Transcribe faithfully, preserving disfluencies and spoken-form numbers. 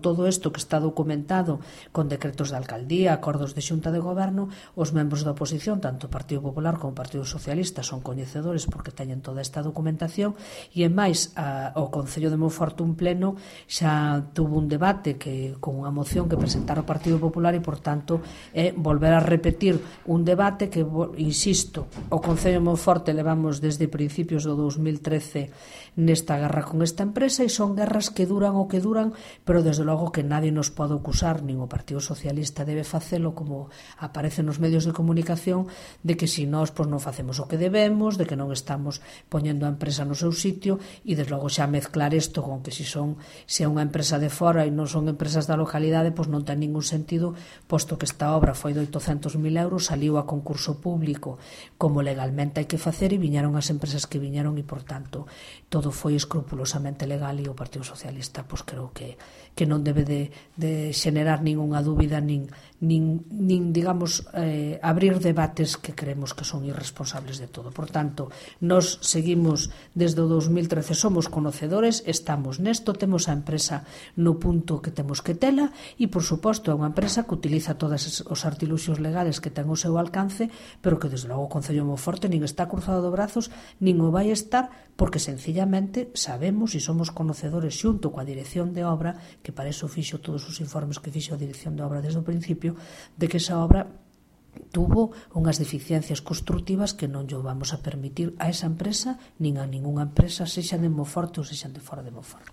Todo isto que está documentado con decretos de alcaldía, acordos de xunta de goberno, os membros da oposición, tanto o Partido Popular como o Partido Socialista, son coñecedores porque teñen toda esta documentación, e en máis, a, o Concello de Monforte un pleno xa tuvo un debate que con unha moción que presentara o Partido Popular e, por tanto, é volver a repetir un debate que, insisto, o Concello de Monforte levamos desde principios do dos mil trece nesta guerra con esta empresa, e son guerras que duran o que duran, pero desde logo que nadie nos pode acusar, nin o Partido Socialista debe facelo, como aparece nos medios de comunicación, de que si nós pois, non facemos o que debemos, de que non estamos poñendo a empresa no seu sitio, e desde logo xa mezclar isto con que si son se é unha empresa de fora e non son empresas da localidade, pois non ten ningún sentido, posto que esta obra foi de oitocentos mil euros, saliu a concurso público como legalmente hai que facer, e viñeron as empresas que viñeron, e por tanto todo foi escrupulosamente legal, e o Partido Socialista pois creo que, que non debe de, de xenerar ningunha dúbida, nin, nin, nin digamos, eh, abrir debates que creemos que son irresponsables de todo. Por tanto, nos seguimos desde o dos mil trece, somos conocedores, estamos nesto, temos a empresa no punto que temos que tela, e por suposto é unha empresa que utiliza todos os artiluxios legales que ten ao seu alcance, pero que desde logo o Concello de Monforte nin está cruzado de brazos, nin o vai estar, porque sencillamente sabemos e somos conocedores xunto coa dirección de obra, que para iso fixo todos os informes que fixo a dirección de obra desde o principio, de que esa obra tuvo unhas deficiencias constructivas que non lle vamos a permitir a esa empresa nin a ningunha empresa, sexan de Monforte ou sexan de fora de Monforte.